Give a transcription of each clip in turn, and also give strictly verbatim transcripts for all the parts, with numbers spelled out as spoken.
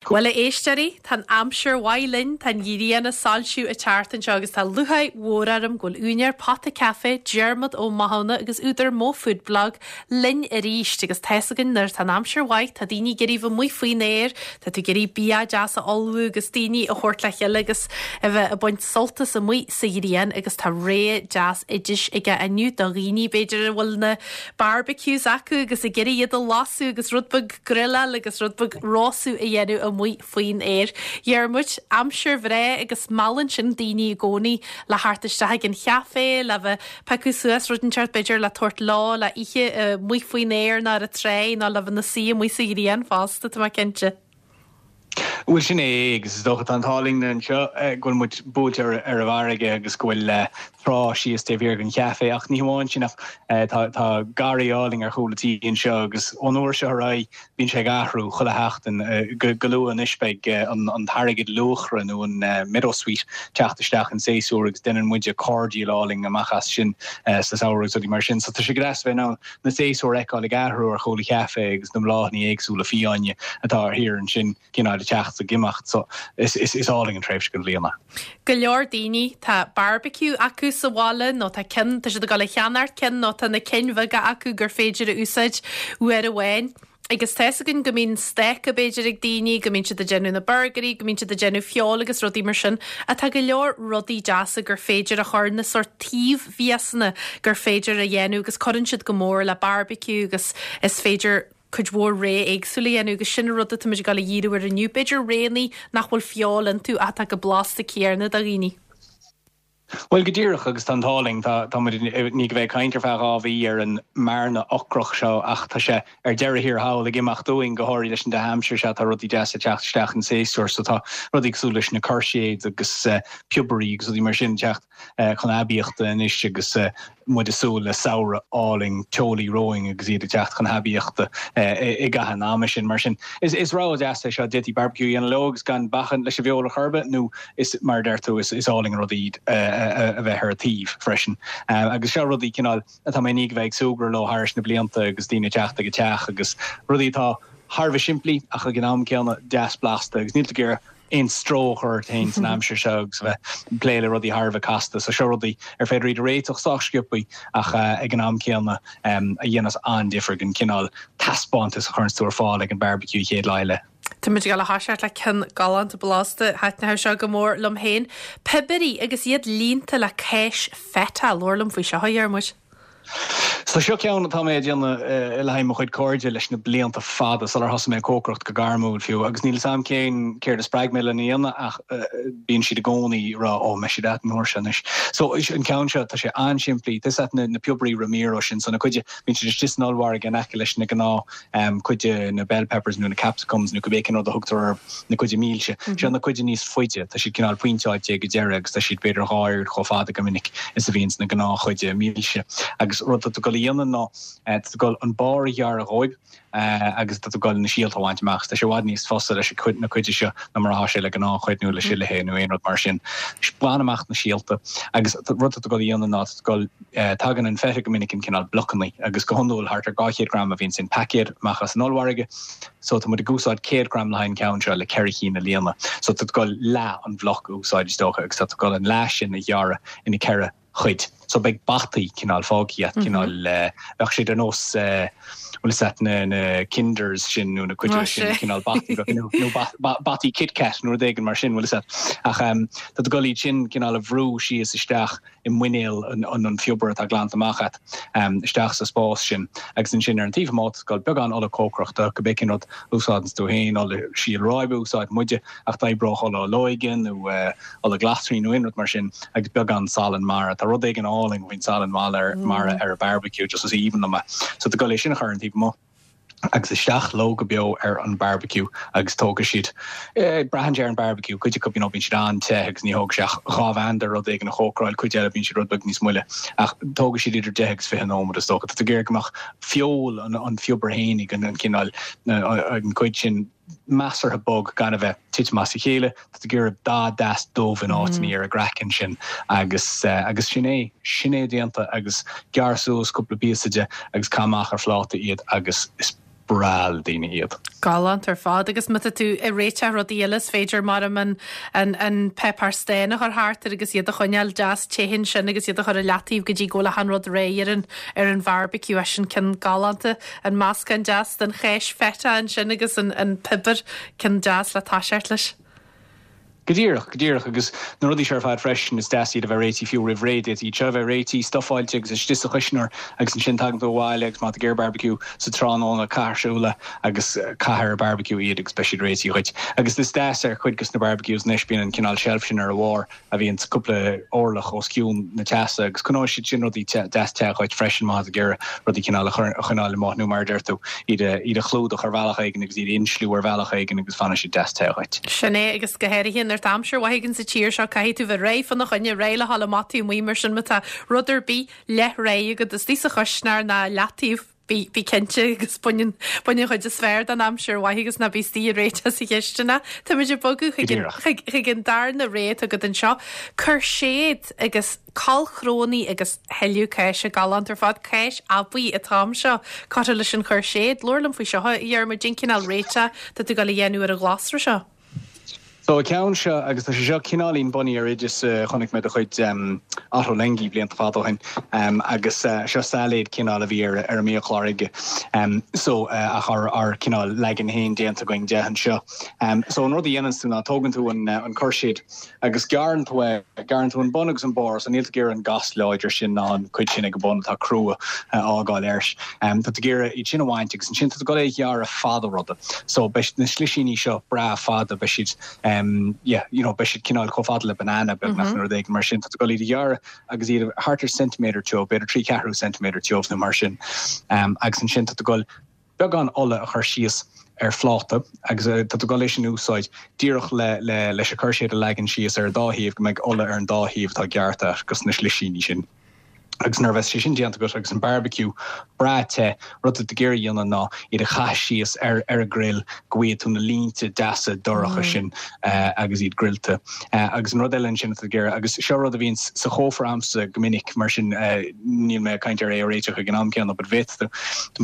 Bhuel a éisteoirí, tá an aimsir mhaith linn, tá an ghrian ag soilsiú an tseachtain seo agus tá lúcháir mhór orm go bhfuil úinéir Pota Café, Diarmuid Ó Mathúna agus údar Mo Food Blog linn arís agus tá fhios againn nuair tá an aimsir mhaith, tá daoine ag iarraidh bheith amuigh faoin aer, tá tú ag iarraidh bia deas a ullmhú agus daoine a thabhairt le chéile agus a bheith ag baint sult as amuigh sa ghrian agus tá rogha deas oidis aige inniu do dhaoine b'fhéidir a bhfuil na barbecues acu agus ag iarraidh iad a lasadh agus rud beag grilleáil agus rud beag róstadh a dhéanamh amuigh faoin aer. Dhiarmuid, aimsir bhreá agus meallann sin daoine i gcónaí le theacht isteach ag an chafé le bheith piocadh suas rud inteacht b'fhéidir le tabhairt leo le ithe amuigh faoin aer nó ar an trá nó le bheith ina suí amuigh sa ghrian fosta tá mé cinnte. Bhuel sin é agus is dócha tá an t-ádh linn anseo go bhfuil muid buailte ar ar an bhfarraige agus go bhfuil trá síos taobh thiar den chafé ach ní hamháin sin ach tá tá garraí álainn ar chúl an tí anseo agus ón uair seo ar aghaidh bíonn sé ag athrú chuile sheachtain go go luath anois beidh an an t-airgead luachra nó an meadowsweet teacht isteach in séasúr agus déanann muide cordial álainn amach as sin sa samhradh agus mar sin so tá sé go deas bheith in ann na séasúir a fheiceáil ag athrú ar chúl an chafé agus na bláthanna éagsúla fiáine atá ar thiar ansin cineál teacht ag imeacht so is is is álainn an tréimhse den bhliain. Go leor daoine tá barbecue acu sa bhaile nó tá cinn tá siad ag dul a cheannacht cinn nó tá na cinn bheaga acu gur féidir a úsáid uair amháin. Agus tá fhios againn go mbíonn stáca b'fhéidir ag daoine, go mbíonn siad ag déanamh na burgairí, go mbíonn siad ag déanamh feoil agus rudaí mar sin, atá go leor rudaí deasa gur féidir a chur na sort taobh-mhiasanna gur féidir a dhéanamh agus cuireann siad go mór le barbecue agus is féidir cuid mhór rogha éagsúla a dhéanamh agus sin rud atá muid ag dul a dhíriú air inniu. B'fhéidir roghanna nach bhfuil feoil iontu atá chomh blasta céanna do dhaoine. Well go díreach agus tá an t-ádh linn tá tá ní go bheith caint ar feadh dhá mhí ar an mbearna ocrach seo ach tá sé ar deireadh thiar thall ag imeacht dúinn go háirithe leis an dea-aimsir seo tá rudaí deasa teacht isteach in séasúr so tá rudaí cosúil leis na courgettes agus uh, piobairí agus rudaí mar sin teacht uh, chun aibíochta anois agus uh, muid ag súil le samhradh álainn teolaí romhainn agus iad ag teacht chun haibíochta i gcaitheamh an ama sin mar sin. Is is rogha deas é seo d'fhéadfaí barbecue a dhéanamh leo agus gan bacaint leis an bhfeoil ar chor ar bith nó is mar deir tú is is álainn an rud iad a bheith ar a taobh freisin. Agus seo rudaí cineál atá mé ní bheith súgradh leo thar na blianta agus daoine teacht ag an teach agus rudaí atá thar bheith simplí ach ag an am céanna deas blasta agus níl tú aon stró ort féin san aimsir seo agus bheith plé le rudaí thar bheith casta so seo rudaí ar féidir iad a réiteach sách sciobtha ach ag an am céanna a dhéanas an-difear an cineál taispeántas a chuireann tú ar fáil ag an barbecue chéad lá eile. Tá muid ag dul a thoiseacht le ceann galánta blasta thaitin seo go mór liom féin. Piobairí agus iad líonta le cáis feta labhair liom faoi seo a Dhiarmuid. So seo ceann atá mé déanamh le haghaidh mo chuid cairde leis na blianta fada sular thosaigh mé ag cócaireacht go gairmiúil fiú agus níl sam cén céard a spreag mé lena dhéanamh ach bíonn siad i gcónaí ag rá ó mbeidh siad an uair seo anois. So an ceann seo tá sé an-simplí Tus na, na piobairí Ramiro sin so na cuide bíonn siad istigh san ollmhargadh in aice leis na gnáth um, cuide na bell peppers nó na capsicums nó cibé cén rud a thugtar na cuide mílse. Mm -hmm. Seo na cuide níos faide tá siad cineál pointeáilte go deireadh agus tá siad b'fhéidir dhá oiread chomh fada go minic is a bhíonn na gnáthchuide mílse. Agus rud atá tú dhéanamh ná tá tú an barr a ghearradh dhóibh agus tá tú na síolta a bhaint amach, Tá sé i bhfad níos fusa leis na cuide seo ná mar atá sé le gnáthchuid nó le sillithe nó aon rud mar sin. Bain amach na síolta agus rud atá tú dhéanamh ná go tagann an feta go minic in cineál blocanna agus go hiondúil thart ar dhá chéad gram a bhíonn sin paicéad amach as an ollmhargadh, so tá muid ag úsáid céad gram le haghaidh an ceann seo le ceithre cinn a líonadh. So tá tú leath an bhloc a úsáid is dócha agus tá tú an leath sin a ghearradh ina ceithre chuid. So beidh bataí cineál fágtha cineál bheadh siad ar nós bhfuil set na na kinders sin nó na cuid sin cineál bataí nó bataí KitKat nó rud éigin mar sin bhfuil set ach um, tá tú iad sin cineál a bhrú síos isteach i muinéal an, an, an phiobair atá glanta amach agat um, isteach sa spás sin agus ansin ar an taobh amuigh go beagán ola cócaireachta go b'fhéidir rud úsáideann tú féin ola síol ráibe úsáid muide ach d'oibreodh ola olóige nó uh, ola glasraí nó aon rud mar sin agus beagán salann mara tá rud éigin álainn faoin salann mara mara ar a barbecue just is aoibhinn liom é. So tá go sin a chur an taobh amuigh. agus isteach leo go beo ar an barbecue agus tógfaidh siad eh, braitheann ar an barbecue cuid acu you know, bíonn siad an-te agus ní thóg sé dhá mheandar rud éigin a chócaráil cuid eile bíonn siad rud beag níos moille ach tógfaidh siad idir deich agus fiche nóiméad is dócha Tá géir go mbeadh feoil an, an phiobair fhéinig an, an cineál an cuid sin measartha bog gan a bheith titim as a chéile Tá gur dá deas dómh in áit ní ar a gcraiceann sin agus uh, agus sin é sin é déanta agus gearr suas cúpla píosa de agus cuir amach ar phláta iad agus is breá le daoine iad. Galánta ar fad agus má tá tú ag réiteach rudaí eile is féidir mar an an an páipéar stáin a chur thart air agus iad a choinneáil deas te ansin agus iad a chur i leataobh go dtí go bhfuil achan rud réidh ar an ar an bharbecue é sin ceann galánta an meascán deas den chéis feta ansin agus an an piobar ceann deas le toiseacht leis. Go díreach go díreach agus na rudaí seo ar fad freisin is deas iad a bheith réitithe fiú roimh ré iad seo a bheith réitithe stufáilte agus istigh sa chuisneoir agus ansin tagann tú abhaile agus má tá ag barbecue sa tráthnóna caith ar siúl agus caith ar barbecue iad agus beidh siad réitithe dhuit. Agus is deas ar chuid de na barbecues anois bíonn an cineál shelf sin ar a bharr a bhíonn cúpla orlach os cionn na teasa agus coinneoidh siad sin rudaí deas te dhuit freisin má tá ag iarraidh rudaí cineál a choinneáil amuigh nó mar a deir tú iad iad a chlúdach ar bhealach éigin agus iad insliú ar bhealach éigin agus fanfaidh siad deas te dhuit. Sin é agus go háirithe nuair atá aimsir mhaith againn sa tír seo caithfidh tú bheith réidh fána choinne réidh le dhul amach taobh amuigh mar sin má tá rud ar bith leath-réidh agat istigh sa chuisneoir ná leataobh bí bí cinnte agus bain bain an chuid is fearr den aimsir mhaith agus ná bí istigh ag réiteach sa chistin. Táimid ag bogadh chuig an darna rogha atá agat anseo. Cúirséad agus cornchnónna agus tuilleadh cáise galánta ar fad cáis aibí atá anseo curtha leis an chúirséad Labhair liom faoi seo a Dhiarmuid cén cineál réiteach tá tú ag dul a dhéanamh ar an ghlasra seo. So an ceann seo agus tá sé seo cineáilín bunaithe ar oideas uh, chonaic mé de chuid um, Ottolenghi blianta fada ó shin um, agus uh, seo sailéad cineál a bhí ar ar an mbiachlár aige. Um, so uh, ach ár ár cineál leagan féin déanta againn de anseo. Um, so an rud a dhéanann tú ná tógann tú an, uh, an cúirséad agus gearrann tú é gearrann tú an bun agus an barr so níl tú ag iarraidh an gas láidir sin ná an cuid sin ag an bun atá crua uh, fhágáil air. Um, tá tú ag iarraidh iad sin a bhaint agus ansin tá tú ag dul é ghearradh fada ruda. So beidh na slisíní seo breá fada beidh siad um, yeah, you know, beidh siad cineál chomh fada le banana beagnach mm -hmm. rud mar sin tá tú ag dul iad a ghearradh agus iad thart ar centiméadar tiubh, b'fhéidir trí ceathrú centiméadar tiubh nó mar sin. Um, agus ansin tá tú ag dul beagán ola a chur síos ar phláta agus uh, tá tú ag dul leis an úsáid díreach le, le, leis an chúirséad a leagan síos ar dá thaobh go mbeidh ola ar an dá thaobh atá gearrtha agus na slisíní sin. Agus nuair a bheas sé sin déanta agat agus an barbecue breá te rud atá tú ag iarraidh a dhéanamh ná iad a chaitheamh síos ar ar a grill go bhfaighidh tú na línte deasa dorcha mm. sin uh, agus iad grillte. Uh, agus an rud eile sin ag iarraidh agus seo rud a bhíonn sa chófra agamsa go minic mar sin uh, níl mé caint ar é réiteach ag an am céanna but bheadh tú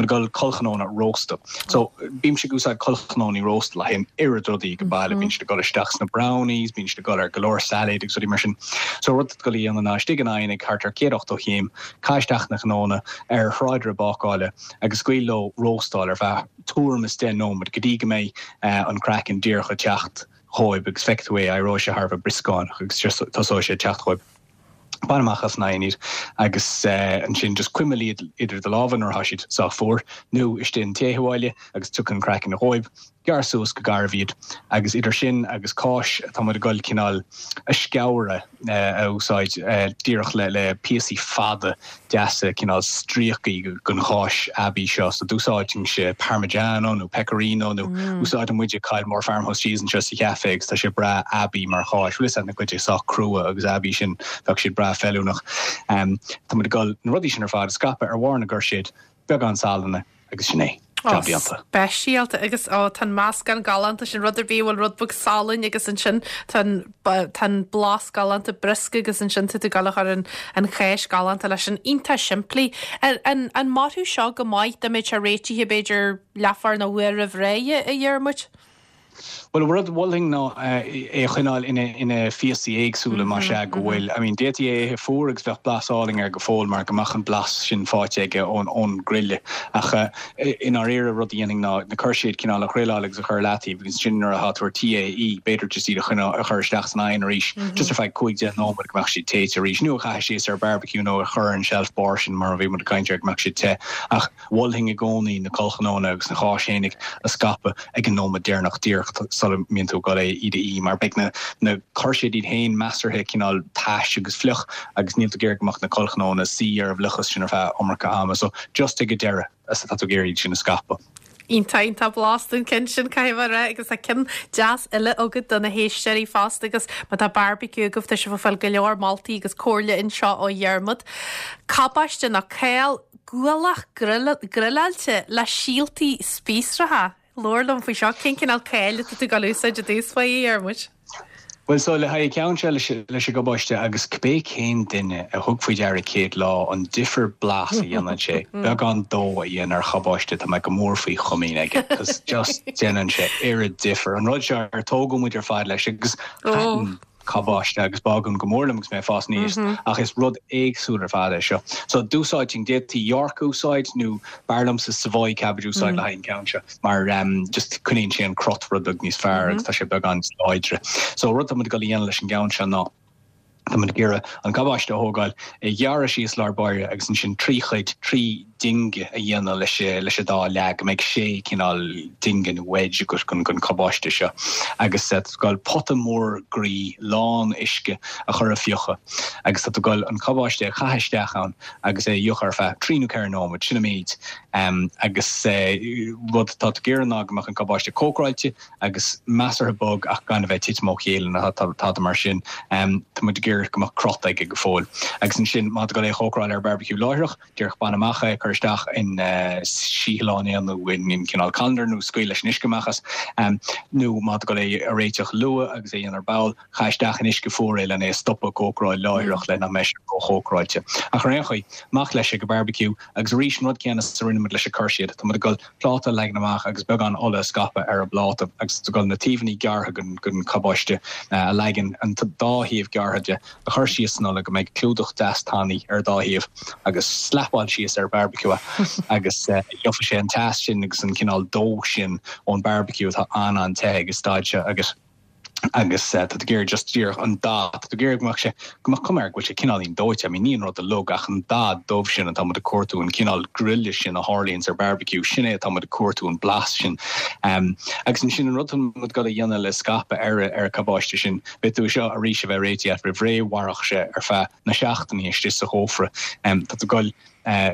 ag dul cornchnónna rósta. So bímse ag úsáid cornchnónna rósta le haghaidh oiread rudaí go baile bíonn siad ag dul isteach sna brownies, bíonn siad ag dul ar go leor salad agus rudaí mar sin. So rud atá tú ag dul a dhéanamh ná istigh in oigheann ag thart ar céad ochtó céim caith isteach na cnónna ar thráidire bácála agus scaoil leo róstáil ar feadh tuairim is deich nóiméad go dtí go mbeidh uh, an craiceann díreach ag teacht dhóibh agus feicfidh tú é éireoidh sé thar a bheith brioscánach agus tosóidh sé ag teacht dhóibh. Bain amach as an oigheann iad agus uh, ansin just cuimil iad idir do lámha nuair atá siad sách fuar nó istigh in tae abhaile agus tiocfaidh an craiceann dhóibh. Gearr suas go garbh iad agus idir sin agus cáis tá ag dul cineál a sceabhra uh, a úsáid uh, díreach le le píosaí fada deasa cineál stríocaí den cháis aibí seo so d'úsáidfinnse parmigiano nó pecorino nó mm. úsáideann muide Kylemore Farmhouse cheese anseo sa chaife agus tá sé breá aibí mar cháis bhfuil na cuid sách crua agus aibí sin bheadh siad breá feiliúnach. Um, tá ag dul na rudaí sin ar fad a scaipeadh ar bharr na gcúirséad beagán salainne agus sin é. Speisialta agus ó tá meascán galánta sin rud ar bith bhfuil rud beag salainn agus ansin tá blas galánta briosca agus ansin tú ag dul a chur an an cháis galánta leis an iontach simplí. An an mairfeadh seo go maith dá mbeadh sé réitithe b'fhéidir leathuair nó uair roimh ré a Dhiarmuid? Well rud mholfainn ná é a choinneáil ina ina phíosaí éagsúla mar sé go bhfuil I mean d'fhéadfaí é ithe fuar agus bheadh blas álainn air go fóill mar go mbeadh an blas sin faighte aige ón ón grille ach in áirithe rud a dhéanfainn ná na cúirséid cineál a ghrileáil agus a chur leataobh agus sin nuair atá tú ar tí é ithe b'fhéidir just iad a choinneáil a chur isteach san oigheann arís just ar feadh cúig deich nóiméad go mbeadh siad téite arís nó a chaitheamh síos ar barbecue nó a chur an shelf bar sin mar a bhí muid ag caint air go mbeadh siad te ach mholfainn i gcónaí na cornchnónna agus na cháis fhéinig a scaipeadh ag an nóiméad deireanach díreach sula mbíonn tú ag dul é iad a ithe mar beidh na na cúirséid iad féin measartha cineál tais agus fliuch agus níl tú ag iarraidh go mbeadh na cornchnónna suí ar an bhfliuchas sin ar feadh iomarca ama so just ag an deireadh is atá tú ag iarraidh sin a scaipeadh. Iontach iontach blasta an ceann sin caithfidh mé a rá agus tá ceann deas eile agat do na héisteoirí fosta agus má tá barbecue agaibh tá sibh ag fáil go leor moltaí agus comhairle anseo ó Dhiarmuid. Cabáiste nó céal gualach grilleáilte le síoltaí spíosracha. Labhair liom faoi seo cén cineál céil atá tú ag dul a úsáid i dtús faoi Dhiarmuid. Bhuel so le haghaidh ceann seo leis leis an gcabáiste agus cibé cén duine a thug faoi deara céad lá an difear blas a dhéanann sé, beagán dó a dhéanamh ar chabáiste tá mé go mór faoi chomaoin aige, cos just déanann sé oiread difear. An rud seo ar tógadh muid ar fad leis agus thaitin cabáiste agus bágún go mór liom agus mé ag fás aníos ach is rud éagsúil ar fad é seo. So d'úsáidfinn d'fhéadfaí York a úsáid nó b'fhearr liomsa Savoy cabbage a úsáid le haghaidh an ceann seo mar um, just coinníonn sé an crot rud beag níos fearr agus tá sé beagán níos láidre. So rud tá muid ag dul a dhéanamh leis an gceann seo ná tá muid ag iarraidh an cabáiste a thógáil, é a ghearradh síos lár báire agus ansin trí chuid, trí dinge a dhéanamh leis leis an dá leath, go mbeidh sé cineál dinge nó wedge agat den den cabáiste seo. Agus tá tú ag dul pota mór groí lán uisce a chur a fiuchadh agus tá tú ag dul an cabáiste a chaitheamh isteach ann agus é a fhiuchadh ar feadh trí nó ceithre nóiméad, sin an méid. Agus rud atá tú ag iarraidh ná go mbeadh an cabáiste cócaráilte agus measartha bog ach gan a bheith ag titim ó chéile nó tada mar sin. Tá muid ag iarraidh go mbeadh crot aige go fóill. Agus ansin má tá tú ag dul é a chócaráil ar barbecue láithreach, díreach bain amach é, cuir isteach in síothlán é nó in cineál colander nó scaoil leis an uisce amach as. Nó má tá tú ag dul é a réiteach luath agus é a dhéanamh ar ball, caith isteach in uisce fuar é lena é a stopadh cócaráil láithreach le nach mbeidh sé róchócaráilte. Ach ar aon chaoi, amach leis ag an barbecue agus arís an rud céanna is a rinne muid leis an cur-siad, tá muid ag dul pláta a leagan amach agus beagán ola a scaipeadh ar an bpláta agus tá tú ag dul na taobhanna gearrtha den cabáiste a leagan, an dá thaobh gearrtha de, a chur síos san ola go mbeidh clúdach deas tanaí ar an dá thaobh agus slapáil síos ar barbecue é agus gheobhaidh sé an teas sin agus an cineál dó sin ón barbecue atá an-an-te ag an staid seo agus agus tá tú ag iarraidh just díreach an dath, tá tú ag iarraidh go mbeadh sé, go mbeadh cuma air go bhfuil sé cineáilín dóite, I mean ní an rud a lug ach an dath dubh sin atá muid ag cuartú, an cineál grille sin a tharlaíonns ar barbecue, sin é atá muid ag cuartú, an blas sin. Um, agus ansin an rud atá muid ag dul a dhéanamh le scaipeadh ar ar an cabáiste sin, beidh tú seo arís a bheith réitithe agat roimh ré, mhairfeadh sé ar feadh na seachtainí istigh sa chófra. Um, tá tú ag dul uh,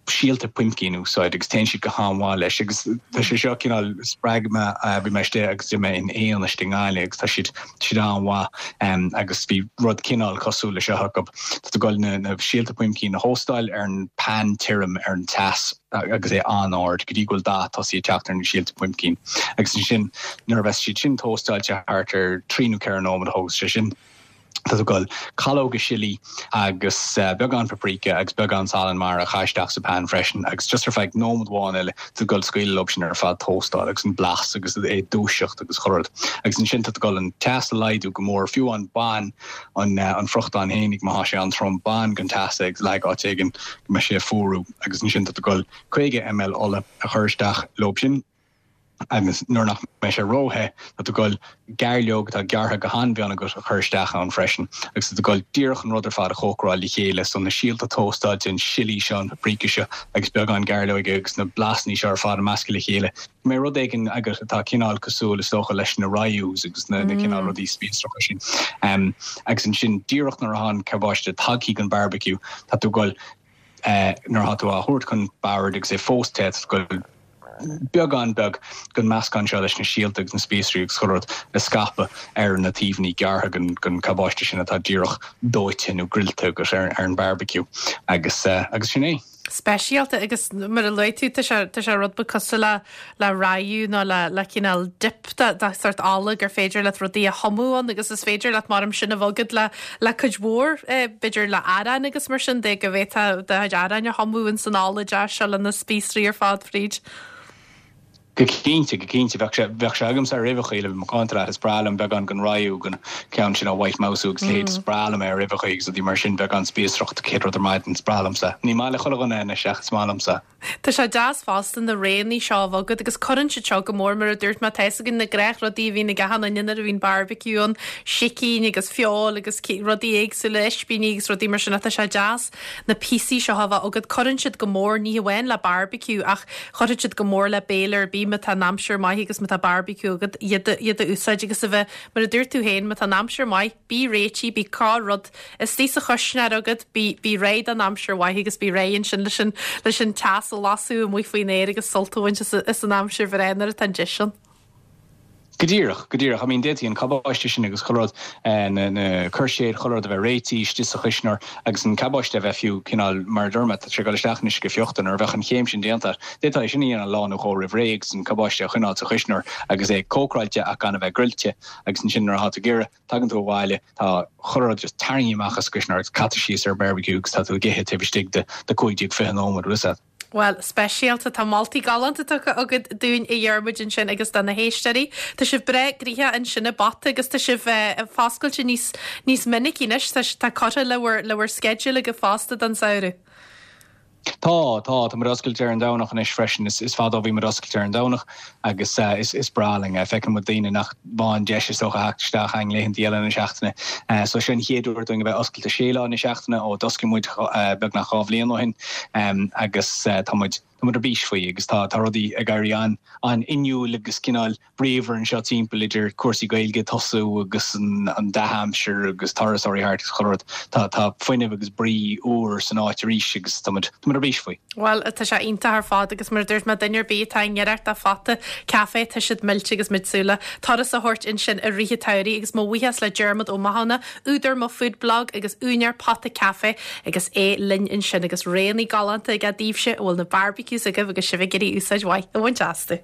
síolta puimcín a úsáid agus téann siad go han-mhaith leis agus tá sé seo cineál spreag mé bhí mé istigh agus d'ith mé in éan istigh i nGaillimh agus tá siad siad an-mhaith agus bhí rud cineál cosúil le seo acu. Tá tú ag dul na na síolta puimcín a thóstáil ar an pan tirim ar an teas agus é an-ard go dtí go bhfuil dath tosaithe ag teacht ar na síolta puimcín agus ansin nuair a bheas siad sin tóstáilte thart ar trí nó ceithre nóiméad a thógas sé sin. Tá tú ag dul calóga sillí agus beagán paprika agus beagán salann mara a chaitheamh isteach sa pan freisin agus just ar feadh nóiméad amháin eile tá tú ag dul scaoileadh leo sin ar fad tóstáil agus an blas agus é dúiseacht agus chuile rud. Agus ansin tá tú ag dul an teas a laghdú go mór, fiú amháin bain an an friochtán fhéinig má thá sé an-trom, bain den teas é agus leag áit éigin go mbeidh sé ag fuarú agus ansin tá tú ag dul caoga ml ola a chur isteach leo sin. agus nuair nach mbeidh sé róthe, tá tú ag dul gairleog atá gearrtha go han-mhion agat a chur isteach ann freisin, agus tá tú ag dul díreach an rud ar fad a chócaráil le chéile, so na síolta tóstáilte, an sillí seo, an paprika seo agus beagán gairleoige agus na blasanna seo ar fad a meascadh le chéile, go mbeidh rud éigin agat atá cineál cosúil, is dócha, leis na rayus agus na cineál rudaí spíosracha sin. Agus ansin díreach nuair atá an cabáiste tagtha chun barbecue, tá tú ag dul, nuair atá tú á thabhairt chun boird agus é fós te, tá tú ag dul beagán beag den meascán seo leis na síolta agus na spíosraí agus chuile rud a scaipeadh ar na taobhanna gearrtha den cabáiste sin atá díreach dóite nó grillte agat ar an barbecue agus agus sin é. Speisialta agus mar a luaigh tú tá sé tá sé rud beag cosúil le le rayu nó le le cineál dip de de sort ola gur féidir leat rudaí a thumadh ann agus is féidir leat mar sin a bhogadh le le cuid mhór eh, b'fhéidir le arán agus mar sin de go bhféadfá do chuid aráin a thumadh in san ola deas seo le na spíosraí ar fad fríd. Go cinnte, go cinnte. Bheadh sé, bheadh sé agamsa ar uibheachaí le bheith macánta leat. Is breá liom beagán den rayu, den ceann sin ó White Mouse agus leithéid. Is breá liom é ar uibheachaí agus rudaí mar sin, beagán spíosracht, céad rud ar maidin, is breá liomsa. Ní maith le chuile dhuine é anois ach is maith liomsa. Tá sé deas fosta na roghanna seo a bheith agat agus cuireann siad seo go mór mar a dúirt mé, tá fhios againn na gnáthrudaí a bhíonn ag achan duine nuair a bhíonn barbecue ann, sicín agus feoil agus rudaí éagsúla, ispíní agus rudaí mar sin ach tá sé deas na píosaí seo a bheith agat. Cuireann siad go mór ní hamháin le barbecue ach chuirfeadh siad go mór le béile ar bith má tá an aimsir maith agus má tá barbecue agat iad a, iad a úsáid agus a bheith, mar a dúirt tú féin, má tá an aimsir maith, bí réitithe, bí corr-rud istigh sa chuisneoir agat, bí, bí réidh don aimsir mhaith agus bí réidh ansin leis an, leis an teas a lasadh amuigh faoin aer agus sult a bhaint as, as an aimsir bhreá nuair atá an deis ann. Go díreach, go díreach. I mean d'fhéadfaí an cabáiste sin agus chuile rud, na na cúirséid, chuile rud a bheith réitithe istigh sa chuisneoir agus an cabáiste a bheith fiú cineál mar a dúirt mé, tá sé ag dul isteach anois go fiuchta nuair a bheadh an chéim sin déanta. D'fhéadfá é sin a dhéanamh lá nó dhó roimh ré agus an cabáiste a choinneáil sa chuisneoir agus é cócráilte ach gan a bheith gruilte agus ansin nuair atá tú ag iarraidh, tagann tú abhaile, tá chuile rud just tarraingthe amach as an gcuisneoir agus caite síos ar barbecue agus tá tú ag ithe taobh istigh de de cúig déag fiche nóiméad, bhfuil fhios agat. Bhuel, speisialta, tá moltaí galánta tugtha agat dúinn a Dhiarmuid ansin agus do na héisteoirí. Tá sibh breá gnoitheach ansin i bPota agus tá sibh foscailte níos níos minicí anois, tá tá curtha le bhur le bhur sceideal agaibh fosta don samhradh. Tá, tá, tá muid oscailte ar an Domhnach anois freisin. Is is fada ó bhí muid oscailte ar an Domhnach agus is is breá linn é. Feiceann muid daoine nach bhfaigheann deis is dócha theacht isteach chugainn laethanta eile na seachtaine. So seo an chéad uair dúinn a bheith oscailte sé lá na seachtaine ó d'oscail muid beagnach dhá bhliain ó shin agus tá muid tá muid ar bís faoi agus tá tá rudaí ag éirí an an-fhuinniúil agus cineál bríomhar anseo timpeall idir cúrsaí Gaeilge ag tosú agus an an dea-aimsir agus turasóirí thart agus chuile rud. Tá tá fuinneamh agus brí úr san áit arís agus tá muid tá muid ar bís faoi. Bhuel, tá sé iontach ar fad agus mar a dúirt mé duine ar bith atá i ngiorracht do phota caife tá siad millte agus muid ag súil le turas a thabhairt ansin i rith an tsamhraidh agus mo bhuíochas le Diarmuid Ó Mathúna, údar Mo Food Blog agus úinéir Pota Caife agus é linn ansin agus roghanna galánta aige daoibhse a bhfuil na barbecues agaibh agus sibh ag iarraidh úsáid mhaith a bhaint astu.